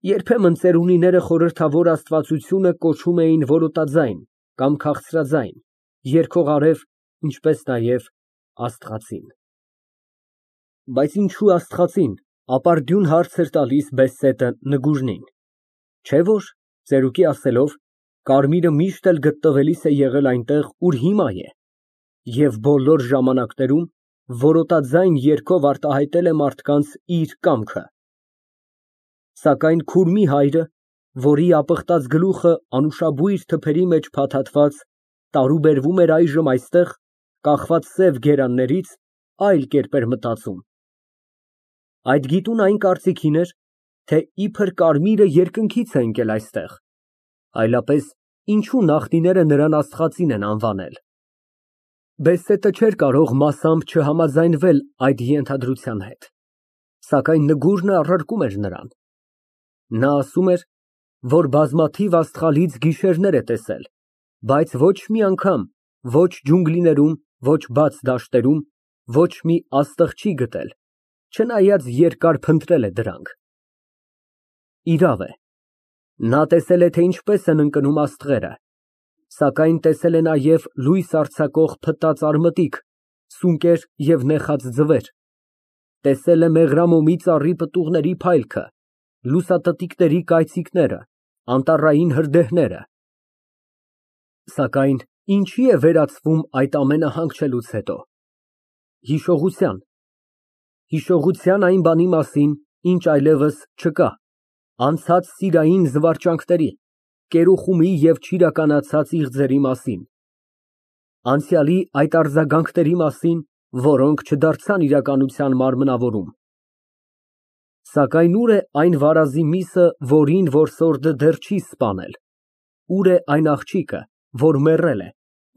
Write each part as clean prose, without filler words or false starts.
Երբեմն ծերունիները խորհրդավոր աստվածությունը կոչում էին որոտաձայն կամ քաղցրաձայն, երգողարև, ինչպես նաև աստղածին։ Բայց ինչո՞ւ աստղածին, ապարդյուն հարց էր տալիս բեստետը Նգուժնին, չէ՞ որ, ծերուկի ասելով, կարմիրը միշտ էլ գտնվելիս է եղել այնտեղ, ուր հիմա է, և բոլոր ժամանակներում որոտաձայն երգով արտահայտել է մարդկանց իր կամքը։ Սակայն Քուրմի հայրը, որի ապխտած գլուխը անուշաբույր թփերի մեջ փաթաթված, տարուբերվում էր այժմ այստեղ, կախված սև գերաններից, այլ կերպ էր մտածում։ Այդ գիտուն այն կարծիքին էր, թե իբր կարմիրը երկնքից է ընկել այստեղ, այլապես ինչու նախնիները նրան աստղածին են անվանել։ Բեստետը չէր կարող մասամբ չհամաձայնվել այդ ենթադրության հետ, սակայն Նգուժնը առարկում էր նրան։ Նա ասում էր, որ բազմաթիվ աստղալից գիշերներ է տեսել, բայց ոչ մի անգամ, ոչ ջունգլիներում, ոչ բաց դաշտերում, ոչ մի աստղ չի գտել, չնայած երկար փնտրել է դրանք։ Իրավ է, նա տեսել է, թե ինչպես են ընկնում աստղերը, սակայն տեսել է նաև լույս արձակող փտած արմատիկ, սունկեր և նեխած ձվեր, տեսել է մեղրամոմի ծառի պտուղների փայլքը, լուսատտիկների կայծիկները, անտառային հրդեհները։ Սակայն ինչի է վերածվում այդ ամենը հանգչելուց հետո։ Հիշողության այն բանի մասին, ինչ այլևս չկա, անցած սիրային զվարճանքների, կերուխումի և չիրականացած իղձերի մասին, անցյալի այդ արձագանքների մասին, որոնք չդարձան իրականության մարմնավորում։ Սակայն ուր է այն վարազի միսը, որին որսորդը դեռ չի սպանել, ուր է այն աղջիկը, որ մեռել է,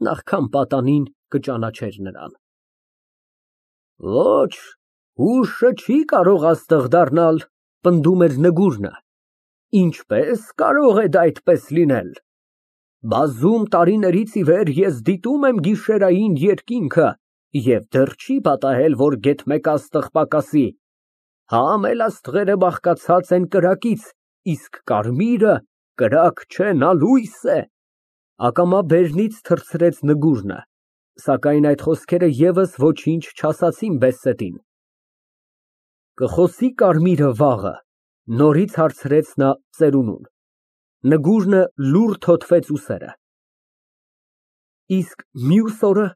նախքան պատանին կճանաչեր նրան։ Ոչ, հուշը չի կարող աստղ դառնալ, պնդում էր Նգուժնը։ Ինչպես կարող է դա այդպես լինել։ Բազում տարիներից ի վեր ես դիտում եմ գիշերային երկինքը և դեռ չի պատահել, որ գեթ մեկ աստղ պակասի։ Համ էլ աստղերը բաղկացած են կրակից, իսկ կարմիրը կրակ չէ, նա լույս է։ Ակամա բերնից թռցրեց Նգուժնը, սակայն այդ խոսքերը ևս ոչինչ չասացին Բեստետին։ Կխոսի կարմիրը վաղը, նորից հարցրեց նա ծերունուն։ Նգուժնը լուռ թոթվեց ուսերը։ Իսկ մյուս օրը,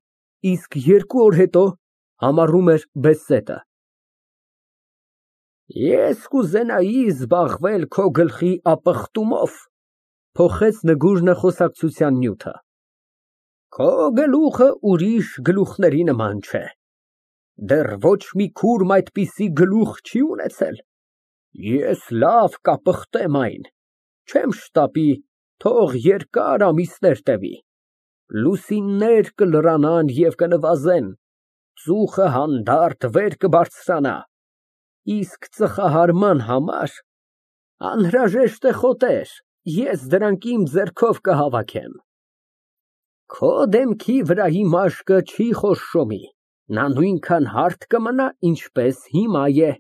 իսկ 2 օր հետո, համառում էր Բեստետը։ Ես կուզենայի զբաղվել քո գլխի ապխտումով, փոխեց Նգուժնը խոսակցության նյութը։ Քո գլուխը ուրիշ գլուխների նման չէ։ Դեռ ոչ մի քուրմ այդպիսի գլուխ չի ունեցել։ Ես լավ կապխտեմ այն, չեմ շտապի, թող երկար ամիսներ տևի, լուսիններ կլրանան և կնվազեն, ծուխը հանդարտ վեր կբարձրանա, իսկ ծխահարման համար անհրաժեշտ է խոտեր, ես դրանք իմ ձեռքով կհավաքեմ։ Քո դեմքի վրայի մաշկը չի խոշորի, նա նույնքան հարթ կմնա, ինչպես հիմա է։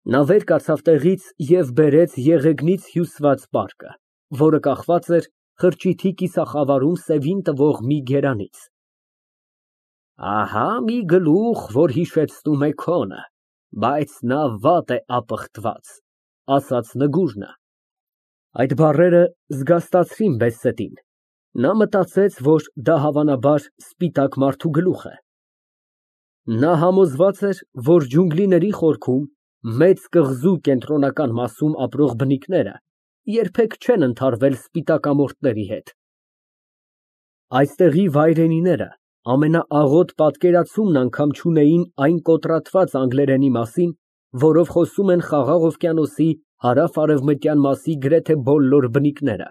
Նա վեր կացավ տեղից և բերեց եղեգնից հյուսված պարկը, որը կախված էր խրճիթի կիսախավարում սևին տվող մի գերանից։ Ահա մի գլուխ, որ հիշեցնում է քոնը, բայց նա վատ է ապխտված, ասաց Նգուժնը։ Այդ բառերը զգաստացրին Բեստետին։ Նա մտածեց, որ դա հավանաբար սպիտակ մարդու գլուխ է։ Նա համոզված էր, որ ջունգլիների խորքում, մեծ կղզու կենտրոնական մասում ապրող բնիկները երբեք չեն ընդհարվել սպիտակամորթների հետ։ Այստեղի վայրենիները ամենաաղոտ պատկերացումն անգամ չունեին այն կոտրատված անգլերենի մասին, որով խոսում են Խաղաղ օվկիանոսի հարավ֊արևմտյան մասի գրեթե բոլոր բնիկները։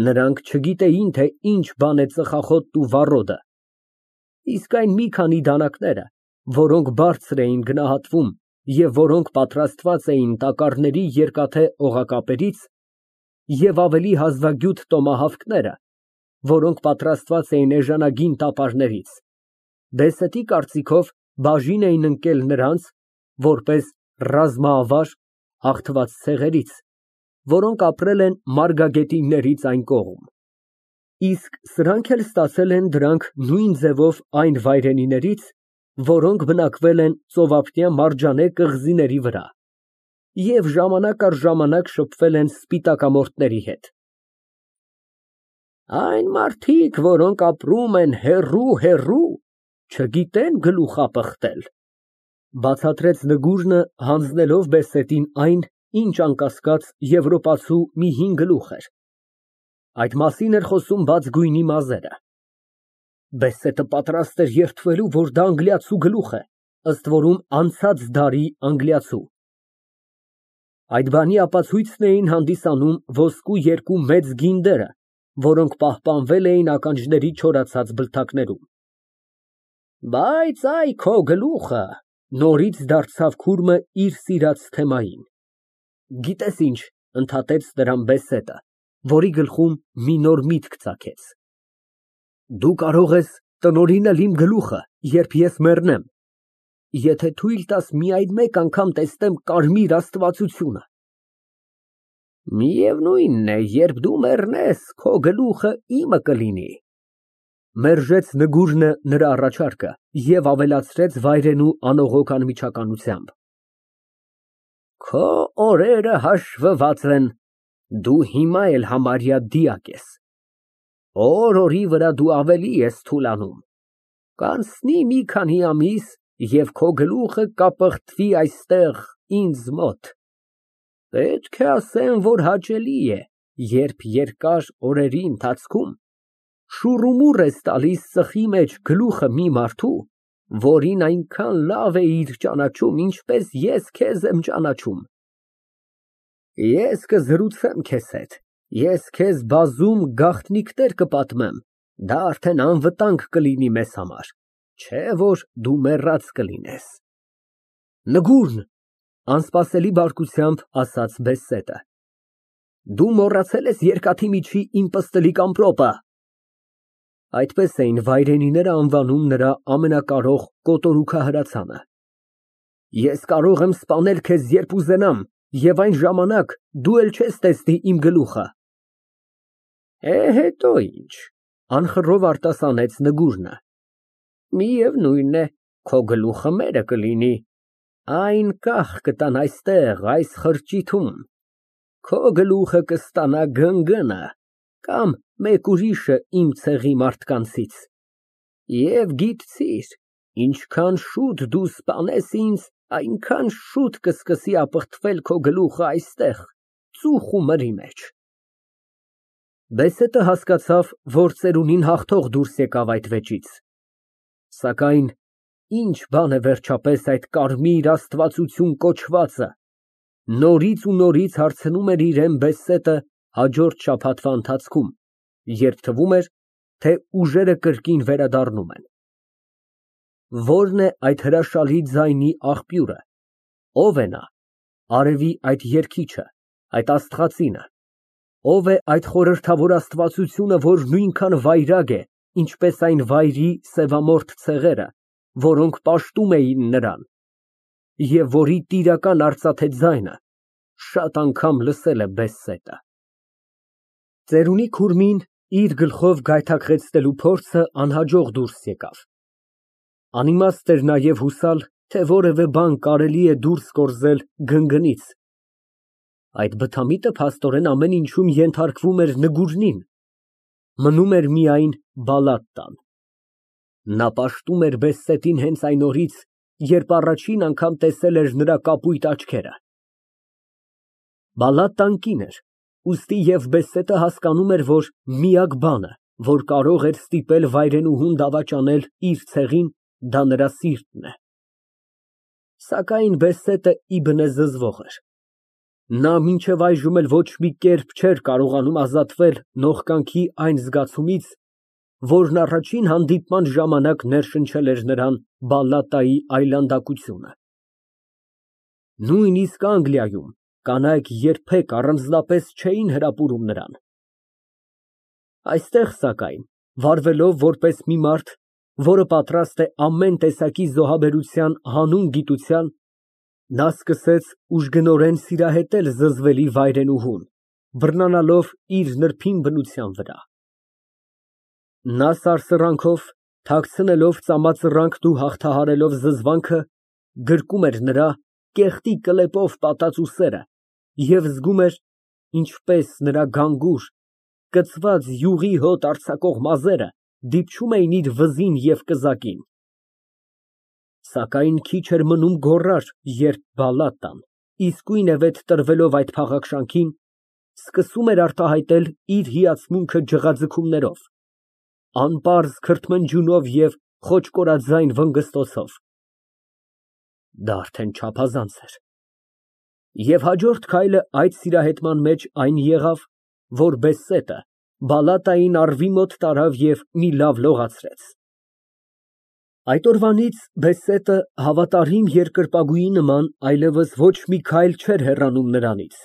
Նրանք չգիտեին, թե ինչ բան է ծխախոտն ու վառոդը, իսկ այն մի քանի դանակները, որոնք բարձր էին գնահատվում և որոնք պատրաստված էին տակառների երկաթե օղակապերից, և ավելի հազվագյուտ տոմահավքները, որոնք պատրաստված էին էժանագին տապարներից, Բեստետի կարծիքով բաժին էին ընկել նրանց, որպես ռազմաավար, հաղթված ցեղերից, որոնք ապրել են մարգագետիններից այն կողմ։ Իսկ սրանք էլ ստացել են դրանք նույն ձևով այն վայրենիներից, որոնք բնակվել են ծովափնյա մարջանե կղզիների վրա և ժամանակ առ ժամանակ շփվել են սպիտակամորթների հետ։ Այն մարդիկ, որոնք ապրում են հեռու, չգիտեն գլուխապղտել, բացատրեց Նգուրնը, հանձնելով բեսետին այն, ինչ անկասկած եվրոպացու մի հին գլուխ էր։ Այդ մասին էր խոսում բաց գույնի մազերը։ Բեսետը պատրաստ էր երդվելու, որ դա անգլիացու գլուխ է, ըստ որում անցած դարի անգլիացու։ Այդ բանի ապացույցն էին հանդիսանում ոսկու երկու մեծ գինդերը, որոնք պահպանվել էին ականջների չորացած բլթակներում։ Բայց այ քո գլուխը, նորից դարձավ քուրմը իր սիրած թեմային։ Գիտես ինչ, ընդհատեց նրան բեսետը, որի գլխում մի նոր միտք ծագեց։ Դու կարող ես տնօրինել իմ գլուխը, երբ ես մեռնեմ, եթե թույլ տաս միայն մեկ անգամ տեսնեմ կարմիր աստվածությունը։ Միևնույնն է, երբ դու մեռնես, քո գլուխը իմը կլինի, մերժեց Նգուրնը նրա առաջարկը և ավելացրեց վայրենու անողոք անմիջականությամբ. Քո օրերը հաշվված են, դու հիմա էլ համարյա դիակ ես, օր֊օրի վրա դու ավելի ես թուլանում, կանցնի մի քանի ամիս և քո գլուխը կապղտվի այստեղ ինձ մոտ, պետք է ասեմ, որ հաճելի է, երբ երկար օրերի ընթացքում շուռումուռ ես տալիս ծխի մեջ գլուխը մի մարդու, որին այնքան լավ էիր ճանաչում, ինչպես ես քեզ եմ ճանաչում։ Ես կզրուցեմ քեզ հետ, ես քեզ բազում գաղտնիքներ կպատմեմ, դա արդեն անվտանգ կլինի մեզ համար, չէ որ դու մեռած կլինես։ Նգուրն, անսպասելի բարկությամբ ասաց բեսետը, դու մոռացել ես երկաթի միջի իմ պստլիկ ամպրոպը։ Այդպես էին վայրենիները անվանում նրա ամենակարող կոտորուքահրացանը։ Ես կարող եմ սպանել քեզ, երբ ուզենամ, և այն ժամանակ դու էլ չես տեսնի իմ գլուխը։ Հետո ինչ, անխռով արտասանեց Նգուրնը։ Միևնույն է, քո գլուխը մերը կլինի, այն կախ կտան այստեղ, այս խրճիթում, քո գլուխը կստանա գնգնը կամ մեկ ուրիշը իմ ցեղի մարդկանցից, և գիտցիր, ինչքան շուտ դու սպանես ինձ, այնքան շուտ կսկսի ապխտվել քո գլուխը այստեղ, ծուխ ու մրի մեջ։ Բեսետը հասկացավ, որ ծերունին հաղթող դուրս եկավ այդ վեճից, սակայն ինչ բան է վերջապես այդ կարմիր աստվածություն կոչվածը, նորից ու նորից հարցնում էր իրեն բեսետը հաջորդ շաբաթվա ընթացքում, երբ թվում էր, թե ուժերը կրկին վերադառնում են։ Ո՞րն է այդ հրաշալի ձայնի աղբյուրը, ո՞վ է նա, արևի այդ երգիչը, այդ աստղածինը, ո՞վ է այդ խորհրդավոր աստվածությունը, որ նույնքան վայրագ է, ինչպես այն վայրի սևամորթ ցեղերը, որոնք պաշտում էին նրան, և որի տիրական արծաթե ձայնը շատ անգամ լսել է բեսետը։ Ծերունի քուրմին իր գլխով գայթակղեցնելու փորձը անհաջող դուրս եկավ։ Անիմաստ էր նաև հուսալ, թե որևէ բան կարելի է դուրս կորզել գնգնից։ Այդ բթամիտը փաստորեն ամեն ինչում ենթարկվում էր Նգուրնին, մնում էր միայն Բալատտան։ Նա պաշտում էր բեսետին հենց այն օրից, երբ առաջին անգամ տեսել էր նրա կապույտ աչքերը։ Բալատտան կին էր, ուստի և բեսետը հասկանում էր, որ միակ բանը, որ կարող էր ստիպել վայրենուհուն դավաճանել իր ցեղին, դա նրա սիրտն է։ Սակայն բեսետը իբնե զզվող էր։ Նա մինչև այժմ էլ ոչ մի կերպ չէր կարողանում ազատվել նողկանքի այն զգացումից, որն առաջին հանդիպման ժամանակ ներշնչել էր նրան Բալատտայի այլանդակությունը։ Նույնիսկ Անգլիայում կանայք երբեք առանձնապես չէին հրապուրում նրան։ Այստեղ, սակայն, վարվելով որպես մի մարդ, որը պատրաստ է ամեն տեսակի զոհաբերության հանուն գիտության, Նա սկսեց ուժգնորեն սիրահետել զզվելի վայրենուհուն, բռնանալով իր նրբին բնության վրա։ Նա սարսռանքով, թաքցնելով ծամածռանքն ու հաղթահարելով զզվանքը, գրկում էր նրա կեղտի կլեպով պատած ուսերը և զգում էր, ինչպես նրա գանգուր, կծված յուղի հոտ արձակող մազերը դիպչում էին իր վզին և կզակին։ Սակայն քիչ էր մնում գոռար, երբ Բալատան, իսկույնևեթ տրվելով այդ փաղաքշանքին, սկսում էր արտահայտել իր հիացմունքը ջղաձգումներով, անպարզ քրթմնջյունով և խոճկորաձայն վնգստոցով։ Դա արդեն չափազանց էր։ Եվ հաջորդ քայլը այդ սիրահետման մեջ այն եղավ, որ Բեսետը Բալատային առվի մոտ տարավ և մի լավ լողացրեց։ Այդ օրվանից Բեսետը հավատարիմ երկրպագուի նման այլևս ոչ մի քայլ չէր հեռանում նրանից,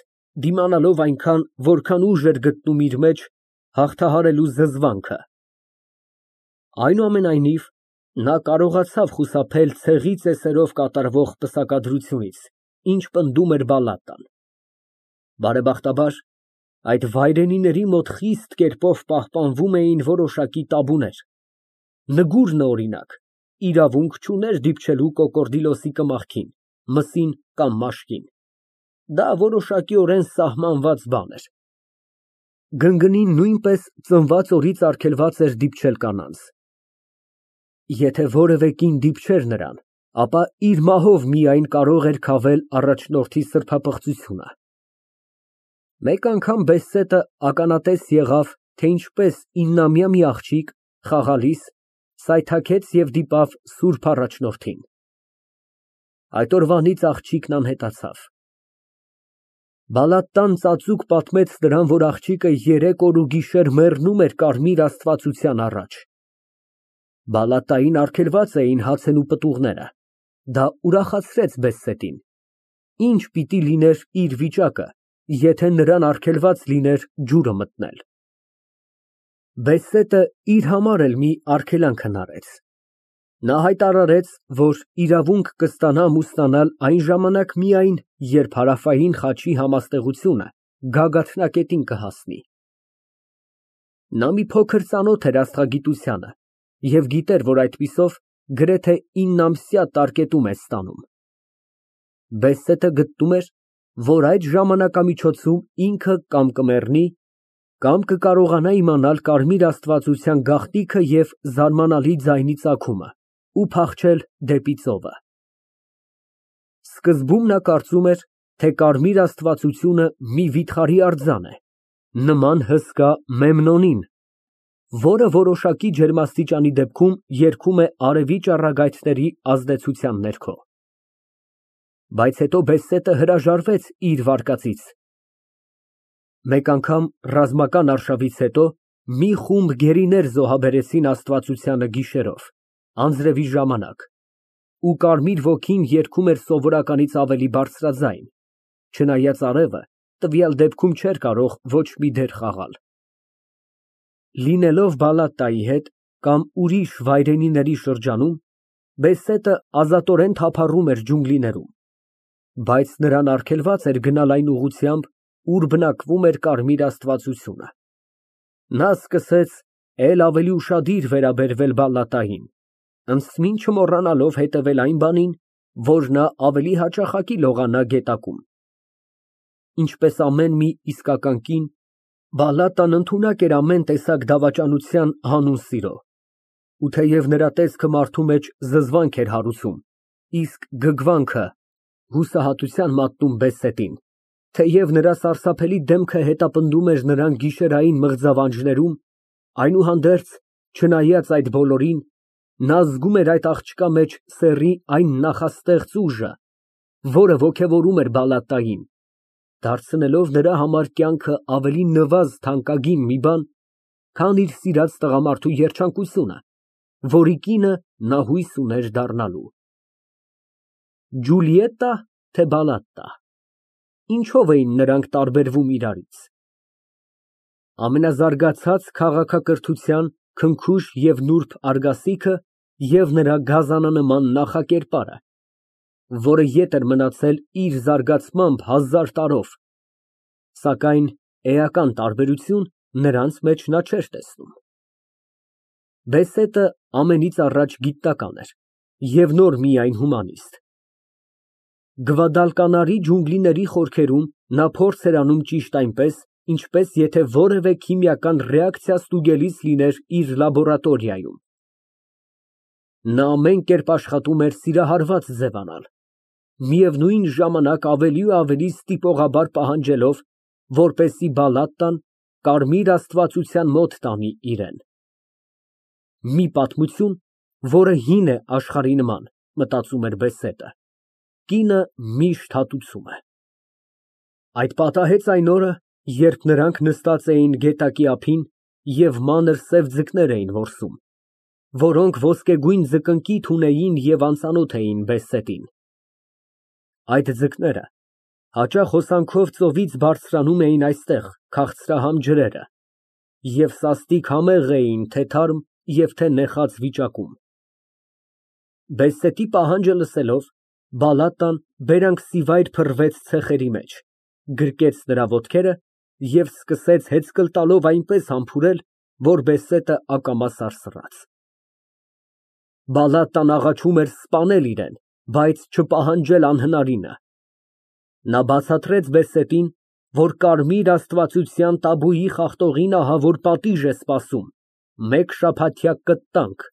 դիմանալով այնքան, որքան ուժ էր գտնում իր մեջ հաղթահարելու զզվանքը։ Այնուամենայնիվ, նա կարողացավ խուսափել ցեղի ծեսերով կատարվող պսակադրությունից, ինչ պնդում էր Բալատան։ Բարեբախտաբար, այդ վայրենիների մոտ խիստ կերպով պահպանվում էին որոշակի տաբուներ։ Նգուրն, օրինակ, իրավունք չուներ դիպչելու կոկորդիլոսի կմախքին, մսին կամ մաշկին։ Դա որոշակիորեն սահմանված բան էր։ Գնգնին նույնպես ծնված օրից արգելված էր դիպչել կանանց։ Եթե որևէ կին դիպչեր նրան, ապա իր մահով միայն կարող էր քավել առաջնորդի սրբապղծությունը։ Մեկ անգամ Բեսետը ականատես եղավ, թե ինչպես 9-ամյա մի աղջիկ, խաղալիս, սայթաքեց և դիպավ սուրբ առաջնորդին։ Այդ օրվանից աղջիկն անհետացավ։ Բալատան ծածուկ պատմեց նրան, որ աղջիկը 3 օր ու գիշեր մեռնում էր կարմիր աստվածության առաջ։ Բալատային արգելված էին հացն ու պտուղները։ Դա ուրախացրեց Բեսետին։ Ինչ պիտի լիներ իր վիճակը, եթե նրան արգելված լիներ ջուրը մտնել։ Բեսետը իր համար էլ մի արգելանք հնարեց։ Նա հայտարարեց, որ իրավունք կստանա ամուսնանալ այն ժամանակ միայն, երբ Հարավային խաչի համաստեղությունը գագաթնակետին կհասնի։ Նա մի փոքր ծանոթ էր աստղագիտությանը և գիտեր, որ այդպիսով գրեթե 9 ամսյա տարկետում է ստանում։ Բեսետը գտնում էր, որ այդ ժամանակամիջոցում ինքը կամ կմեռնի, կամ կկարողանա իմանալ կարմիր աստվածության գաղտնիքը և զարմանալի ձայնի ծագումը ու փախչել դեպի ծովը։ Սկզբում նա կարծում էր, թե կարմիր աստվածությունը մի վիթխարի արձան է, նման հսկա Մեմնոնին, որը որոշակի ջերմաստիճանի դեպքում երգում է արևի ճառագայթների ազդեցության ներքո։ Բայց հետո Բեսետը հրաժարվեց իր վարկածից։ Մեկ անգամ ռազմական արշավից հետո մի խումբ գերիներ զոհաբերեցին աստվածությանը գիշերով, անձրևի ժամանակ, ու կարմիր ոգին երգում էր սովորականից ավելի բարձրաձայն, չնայած արևը տվյալ դեպքում չէր կարող ոչ մի դեր խաղալ։ Լինելով Բալատայի հետ կամ ուրիշ վայրենիների շրջանում, Բեսետը ազատորեն թափառում էր ջունգլիներում, բայց նրան արգելված էր գնալ այն ուղղությամբ, ուր բնակվում էր կարմիր աստվածությունը։ Նա սկսեց էլ ավելի ուշադիր վերաբերվել Բալատային, ընդսմին չմոռանալով հետևել այն բանին, որ նա ավելի հաճախակի լողանա գետակում։ Ինչպես ամեն մի իսկական կին, Բալատան ընդունակ էր ամեն տեսակ դավաճանության հանուն սիրո, ու թեև նրա տեսքը մարդու մեջ զզվանք էր հարուցում, իսկ գգվանքը հուսահատության մատնում Բեսետին, թեև նրա սարսափելի դեմքը հետապնդում էր նրան գիշերային մղձավանջներում, այնուհանդերձ, չնայած այդ բոլորին, նա զգում էր այդ աղջկա մեջ սեռի այն նախաստեղծ ուժը, որը ոգևորում էր Բալատային, դարձնելով նրա համար կյանքը ավելի նվազ թանկագին մի բան, քան իր սիրած տղամարդու երջանկությունը, որի կինը նա հույս ուներ դառնալու։ Ջուլիետտա, թե Բալատտա, ինչո՞վ էին նրանք տարբերվում իրարից։ Ամենազարգացած քաղաքակրթության քնքուշ և նուրբ արգասիքը և նրա գազանանման նախակերպարը, որը ետ էր մնացել իր զարգացմամբ 1000 տարով, սակայն էական տարբերություն նրանց մեջ նա չէր տեսնում։ Բեսետը ամենից առաջ գիտնական էր և նոր միայն հումանիստ։ Գվադալկանարի ջունգլիների խորքերում նա փորձ էր անում ճիշտ այնպես, ինչպես եթե որևէ քիմիական ռեակցիա ստուգելիս լիներ իր լաբորատորիայում։ Նա ամեն կերպ աշխատում էր սիրահարված ձևանալ, միևնույն ժամանակ ավելի ու ավելի ստիպողաբար պահանջելով, որպեսզի Բալատտան կարմիր աստվածության մոտ տանի իրան։ Մի պատմություն, որը հին է աշխարհի նման, մտածում էր Բեսետը, կինը միշտ հատուցում է։ Այդ պատահեց այն օրը, երբ նրանք նստած էին գետակի ափին և մանր սև ձկներ էին որսում, որոնք ոսկեգույն ձկնկիթ ունեին և անծանոթ էին Բեսետին։ Այդ ձկները հաճախ հոսանքով ծովից բարձրանում էին այստեղ քաղցրահամ ջրերը և սաստիկ համեղ էին թե թարմ և թե նեխած վիճակում։ Բեսետի պահանջը լսելով, Բալատտան բերանքսիվայր փռվեց ցեխերի մեջ, գրկեց նրա ոտքերը և սկսեց հեծկլ տալով այնպես համբուրել, որ Բեսետը ակամա սարսռաց։ Բալատտան աղաչում էր սպանել իրան, բայց չպահանջել անհնարինը։ Նա բացատրեց Բեսետին, որ կարմիր աստվածության տաբուի խախտողին ահավոր պատիժ է սպասում, մեկ շաբաթյա կտտանք։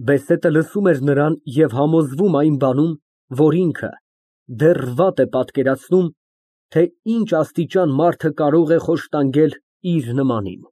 Բեսետը լսում էր նրան և համոզվում այն բանում, որ ինքը դեռ վատ է պատկերացնում, թե ինչ աստիճան մարդը կարող է խոշտանգել իր նմանին։